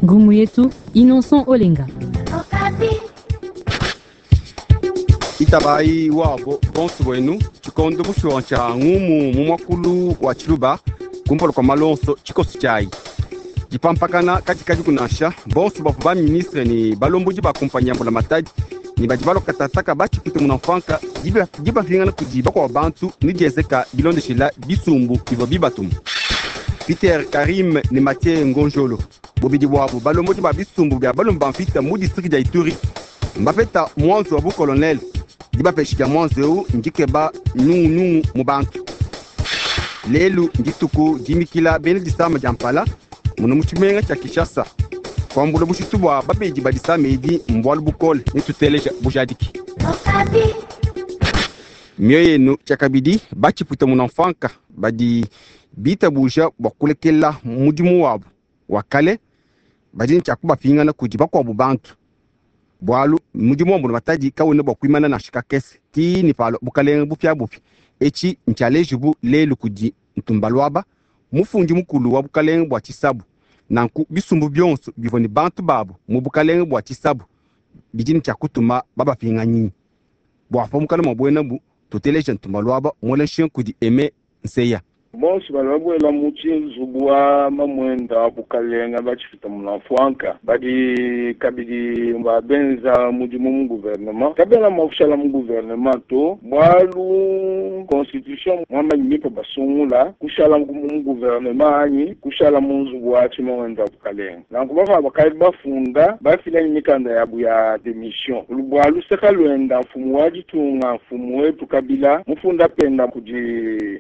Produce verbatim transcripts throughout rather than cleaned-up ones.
Ngumu yetu Innocent Olenga. Itabayi wabo bonso bwenu tshikondo bushuwa tshia ngumu mu mwakulu wa tshiluba kumpala kua malonso tshikoso tshiayi dipampakana katikati kunasha bonso bavua ba ministre ne balombodi ba kumpanyi ya mbulamatadi ne badi balokatataka batshipite munamfanka dibapingana kudi bakuabo bantu ne diezeka bilondeshela bisumbu bivua bibatuma. Peter Karim ne Mathieu Ngonjolo bobidi bwabo balombodi ba bisumbu bia balomba ba mvita mu district dia Ituri mbapeta mwanzo wa bukolonel dibapesha dia mwanzo eu ndikeba nungunungu mu bantu. Lelu ndituku dimikila bena disama dia mpala muno mu tshimenga tshia Kinshasa kwambula bushitu bwa babedi ba disama edi mbwalu bukole netuteleja bujadiki. Mioyo yenu tshiakabidi batshiputa munamfanka badi bitabuja bwa kulekela mudimu wabo wa kale badi ne tshia kudi bakuabu bantu bwalu mudimu wa mbulamatadi kawena bwa kuimana nansha kakese ti ni palo bukalenge bupiabupia etshi ntshialejibu lelu kudi ntumba lwaba mufundi mukulu wa bukalenge bwa tshisabu nanku bisumbu bionso bivua ne bantu babo mu bukalenge bwa tshisabu bidi ne tshia kutuma babapinganyinyi bua pa mukana mwa buenabu tuteleja ntumba lwaba muela nshinga kudi Aime Nseya. Bonso bali babuela mu tshinzubu wa mamwenda wa bukalenga batshifita munamfwanka badi kabidi babenza mudimu mu gouvernement kabena mua kushala mu gouvernement to bwalu constitution mwamanyi mipe basungula kushala mu gouvernement anyi kushala mu nzubu wa tshimwenda wa bukalenga nanku bava bakali bafunda bafila mikanda yabu ya démission bwalu seka lwenda mfumu wa ditunga mfumu wetu Kabila mufunda penda kudi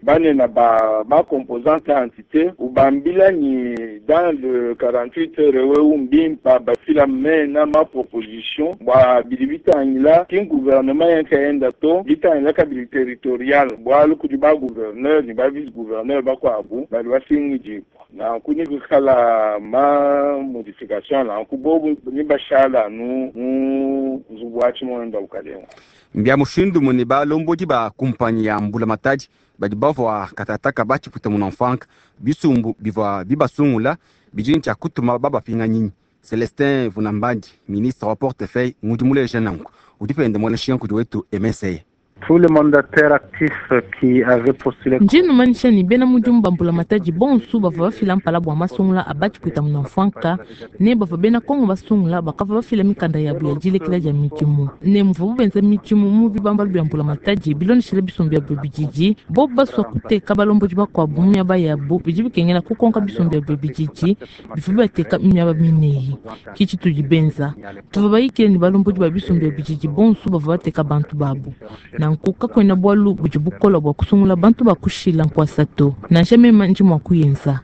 banena ba ba composante entité ubambila ni dans le quarante-huit heures we umbimpa bafila mena ma proposition bwa bidi bitangila ki gouvernement yankaenda to bitangila kabili territorial bwalu kudi ba gouverneur ni ba vice gouverneur bakwabu bali basingijibwa na kuni kukhala ma modification na kubobu ni bashala nu mu nzubu wa tshimondo bukalenga. Mbia mushindu mune balombodi ba kumpanyi ya mbulamatadi badi bavua katataka batshiputa munamfanka bisumbu bivua bibasungula bidi ne tshia kutuma babapinganyinyi. Celestin Vunambandi ministre wa portefeuille ngudi muleja nanku udi pende muela nshinga kudi wetu M S A. Tous les mandataires actifs qui avaient postulé. Njinu manisha ni bena mudimu ba mbulamatadi bonso bavua bafila mpala bua masungula a batshipwita munamfwanka ne bavua bena Kongo basungula bakavua bafila mikanda yabu ya dilekela dia midimu ne muvua benza midimu mu bibambalu bia mbulamatadi bilondeshela bisumbu bia bididi bobu basua kuteka balombodi bakuabu mu miaba yabu bidi bikengela kukonka bisumbu bia bididi bivua bateka miaba mineyi ki tshitudi benza tuvua bayikile ne balombodi ba bisumbu bia bididi bonso bavua bateka bantu babu nanku kakwena bwalu budi bukola bwa kusungula bantu bakushila nkwasa to nansha mema ndi mwa kuyenza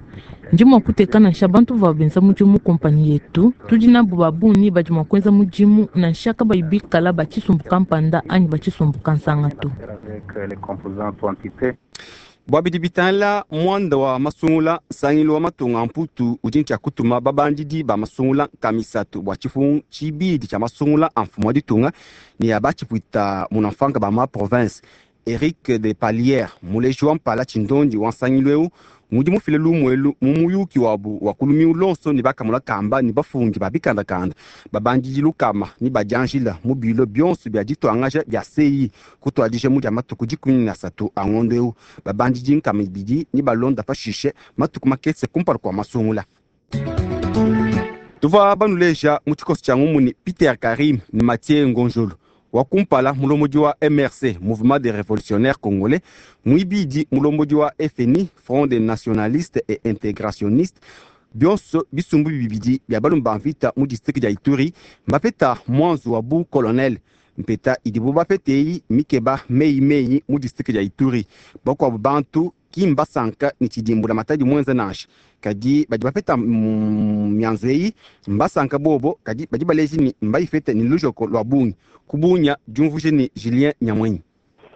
ndi mwa kuteka nansha bantu bavua benza mudimu kompanyi yetu tudi nabo babuni badi mwa kuenza mudimu nansha kabayi bikala batshisumbu kampanda anyi batshisumbu kansanga to. Bwa bidi bitangila mwanda wa masungula nsangilu wa matunga mputu udi ntshia kutuma babandidi ba masungula nkamisatu bua tshifungu tshibidi tshia masungula a mfumu wa ditunga ne ya batshipwita munamfanka ba ma province. Eric de Palière muleji wa mpala tshindondi wa nsangilu eu ngudi mufile lumuelu mu muyuki wabu wa kulumiu lonso ne bakamula kamba ne bafundi ba bikandakanda babandidi lukama ne badianjila mu bilo bionso bia dituangaja bia C I kutuadija mu dia matuku dikumi na asatu a ngondo eu babandidi nkama ibidi ne balonda pashishe matuku makese kumpala kua masungula. Tuvua banuleja mu tshikoso tshia ngumu ni Peter Karim ne Mathieu Ngonjolo wa kumpala mulombodi wa M R C Mouvement des Révolutionnaires Congolais muibidi mulombodi wa F N I Front des Nationalistes et Intégrationnistes bionso bisumbu bibidi bia balomba mvita mu district dia Ituri mbapeta mwanzo wa bu colonel mpeta idibu bapetei mikeba mei mei mu district dia Ituri bakuabu bantu kimbasanka ni tshidimbula matadi mwenza nansha kadi badi bapeta mianzo eyi mbasanka bobo kadi badi baleji ni mbayifete ni lujoko lwa bungi kubunya diumvuje ni Julien Nyamwenyi.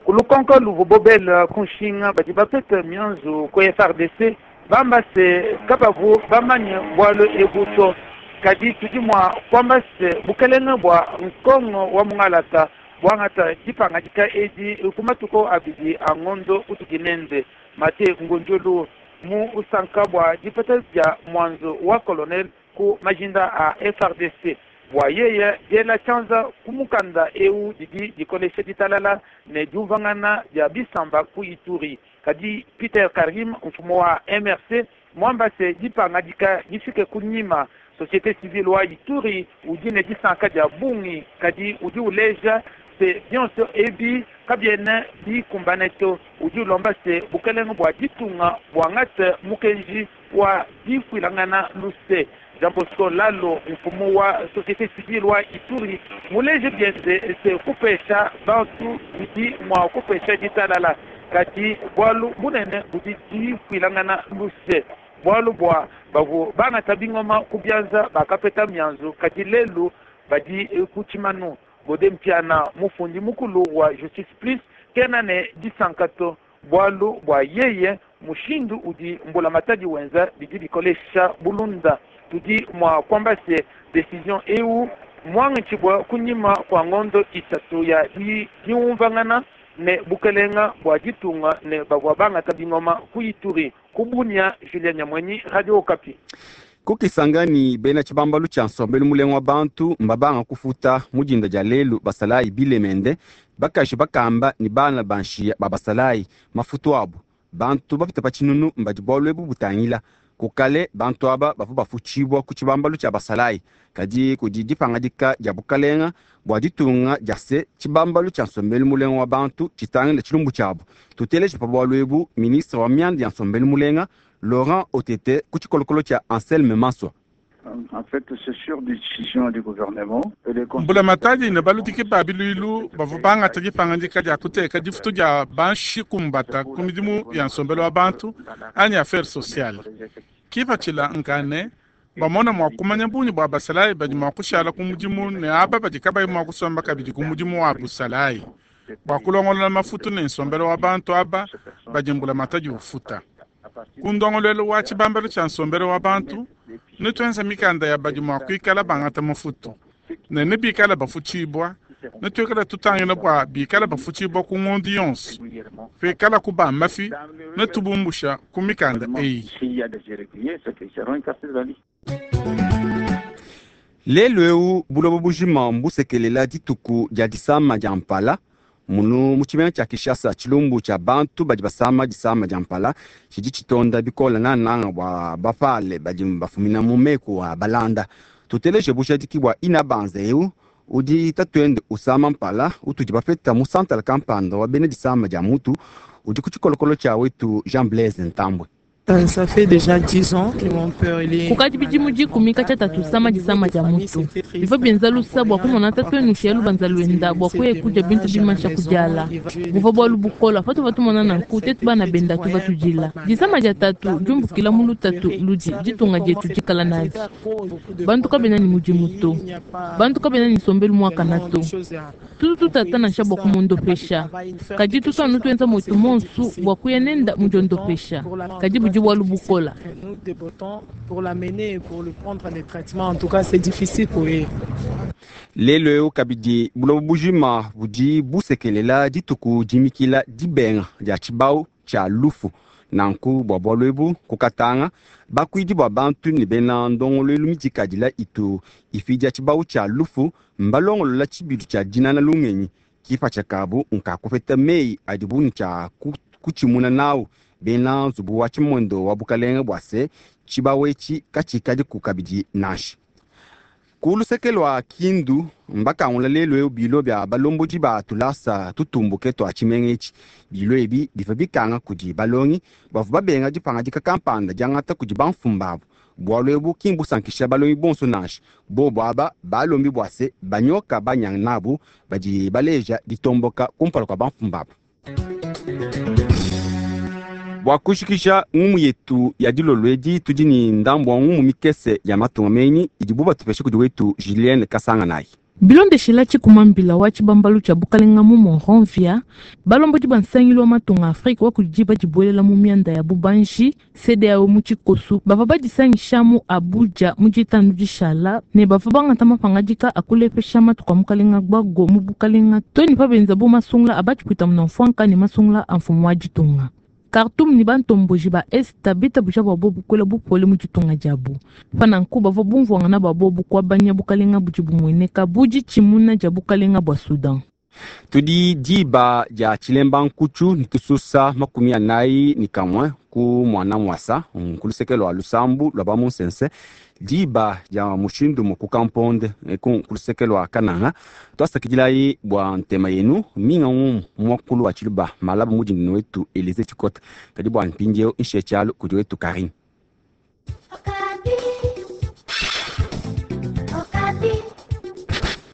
Kulukonko luvu bobel kunshinga badi bapeta mianzo ko F R D C bambase kabavu bamanye bwalo ebuto kadi tudi mwa kwambase bukelenge bwa nkongo wa mungalata bwangata dipangadika edi kumatuko abidi a ngondo utukinende Mate Ngonjolo mu usanka bwa dipeta dia mwanzo wa colonel ku majinda a F R D C. Bua yeye diela tshianza ku mukanda eu didi dikolesha ditalala ne diumvangana dia bisamba ku Ituri. Kadi Peter Karim, mfumu wa M R C, mwamba se dipangadika difike kunyima. Société civile wa Ituri udi ne disanka dia bungi, kadi udi uleja se bionso ebi kabiena bikumbane to. Udi ulomba se bukelenge bua ditunga buangate mukenji wa difuilangana luse. Jean Bosco Lalo, mfumu wa société civile wa Ituri, muleje bienze se kupesha bantu bidi mua kupesha ditalala, kadi bualu bunene budi difuilangana luse. Bualu bua bavu bangata bingoma ku bianza bakapeta mianzu, kadi lelu badi ku tshimanu. Gode Mpiana, mufundi mukulu wa Justice Plus, kena ne disanka to, bualu bua yeye mushindu udi mbulamatadi wenza bidi bikolesha bulunda. Tudi mua kuamba se decision eu muangatshibua kunyima kua ngondo isatu ya diumvangana ne bukelenga bua ditunga ne bavua bangata bingoma ku Ituri. Ku Bunia, Julien Nyamwenyi, Radio Okapi. Kukisangani bena tshibambalu tshia nsombelu mulenga wa bantu mbabanga kufuta mudinda dia lelu basalayi bilemende bakaji bakamba ni bana banshiya ba basalayi mafutu abu. Bantu bapita pa tshinunu mbadi bualu ebu butangila. Kukale bantu aba bavua bafutshibua ku tshibambalu tshia basalayi, kadi kudi dipangadika dia bukalenga bua ditunga dia se tshibambalu tshia nsombelu mulenga wa bantu tshitangila tshilumbu tshiabu. Tuteleje pa bualu ebu ministre wa mianda ya nsombelu mulenga Laurent Otete ku tshikolokolo tshia Anselme Manswa. En fait, c'est sur décision du gouvernement. Mbulamatadi ne baludiki ba biluilu bavua bangata dipangadika dia kuteka difutu dia banshi kumbata ku midimu ya nsombelu wa bantu anyi affaires sociales. Kipatshila nkane bamona mua kumanya bungi bua basalayi badi mua kushala ku mudimu ne aba badi kabayi mua kusomba kabidi ku mudimu wa busalayi bua kulongolola mafutu ne nsombelu wa bantu aba badi mbulamatadi ufuta. Ku ndongoluelu wa tshibambalu tshia nsombelu wa bantu netwenza mikanda ya badi mua kuikala bangata mafutu ne ne bikala bafutshibua netwikala tutangila bua bikala bafutshibua ku ngondo yonso pikala ku ba mafi netubumbusha ku mikanda eyi. Lelu eu buloba bujima mbusekelela dituku dia disama dia mpala. Munu mu tshimenga tshia Kinshasa tshilumbu tshia bantu badi basama disama dia mpala tshidi tshitonda bikola nananga bua bapale badi bafumina mu meku a balanda. Tuteleje bujadiki bua ina banza eu udi tatuende usama mpala utudi bapeta mu santala kampanda wa bena disama dia mutu udi ku tshikolokolo tshia wetu Jean Blaise Ntambwe. Ça fait déjà dix ans que mon père il est kukadi bidimu dikumi katshia tatu sama disama dia mutu bivua bienza lusa bua kumona tatu enu shia lubanza luenda bua kuya kudia bintu bimansha kudiala buvua bualu bukola patuvua tumona nanku tetu bana benda tuva tudila disama dia tatu diumbukila mu lutatu ludi ditunga dietu dikala nadi bantu kabena ni mudimu to bantu kabena ni nsombelu muakana to tutu tutata nansha bua kumondopesha kadi tutu anu tuenza mwetu monsu bua kuya nenda mudiondopesha kadi budi Nous débotons pour l'amener et pour le prendre des traitements. En tout cas, c'est difficile pour eux. Lelo eu kabidi buloba bujima budi busekelela dituku dimikila dibenga dia tshibau tshia lufu. Nanku bua bualu ebu kukatanga bakuidi bua bantu ne bena ndongoluelu midikadila itu ifidia tshibau tshia lufu mbalongolola tshibilu tshia dinana lungenyi kipa tshia kabu nkakupeta meyi adibu ne tshia kutshimuna nawu bena nzubu wa tshimondo wa bukalenga bua se tshibawu etshi katshikadi ku kabidi nansha. Ku luseke lua Kindu mbakangula lelu eu bilo bia balombodi ba tulasa tutumbuke tua tshimenga etshi. Bilo ebi bivua bikanga kudi balongi bavua babenga dipangadika kampanda diangata kudi bamfumu babu. Bualu ebu ki mbusankisha balongi bonso nansha. Bobo aba balombi bua se banyoka banyanga nabu badi baleja ditomboka kumpala kua bamfumu babu. Bua kushikisha ngumu yetu ya dilolo edi tudi ni ndambu wa ngumu mikese ya matunga menyi idibu batupesha kudi wetu Julienne Kasanga nayi. Bilondeshela tshikumambila wa tshibambalu tshia bukalenga mu Monrovia, balombodi ba nsangilu wa matunga Afrika wa kudi badibuelela mu mianda ya bubanji C D A O mu tshikosu bavua badisangisha mu Abuja mu ditanu dishala ne bavua bangata mapangadika a kulepesha matuku a mukalenga Gbagbo mu bukalenga to ne pabenza bu masungula a batshipwita munamfuanka ne masungula a mfumu wa ditunga. Khartoum ne bantomboji ba Esta bitabuja bua bobu kuela bupole mu ditunga diabu. Pa nanku bavua bumvuangana bua bobu kuabanya bukalenga budi bumueneka bu ditshimuna dia bukalenga bua Soudan. Tudi diba dia tshilemba nkutshu ne tususa makumi anayi ne kamue ku mwana mwasa ku luseke lua lusambu lua bamunsense diba dia mushindu mu kukamponde ku luseke lua kananga tuasakidilayi bua ntema yenu minga ngumu muakulu wa tshiluba malaba mudindini wetu Elize Tshikota kadi bua mpindieu nshiye tshialu kudi wetu Karine.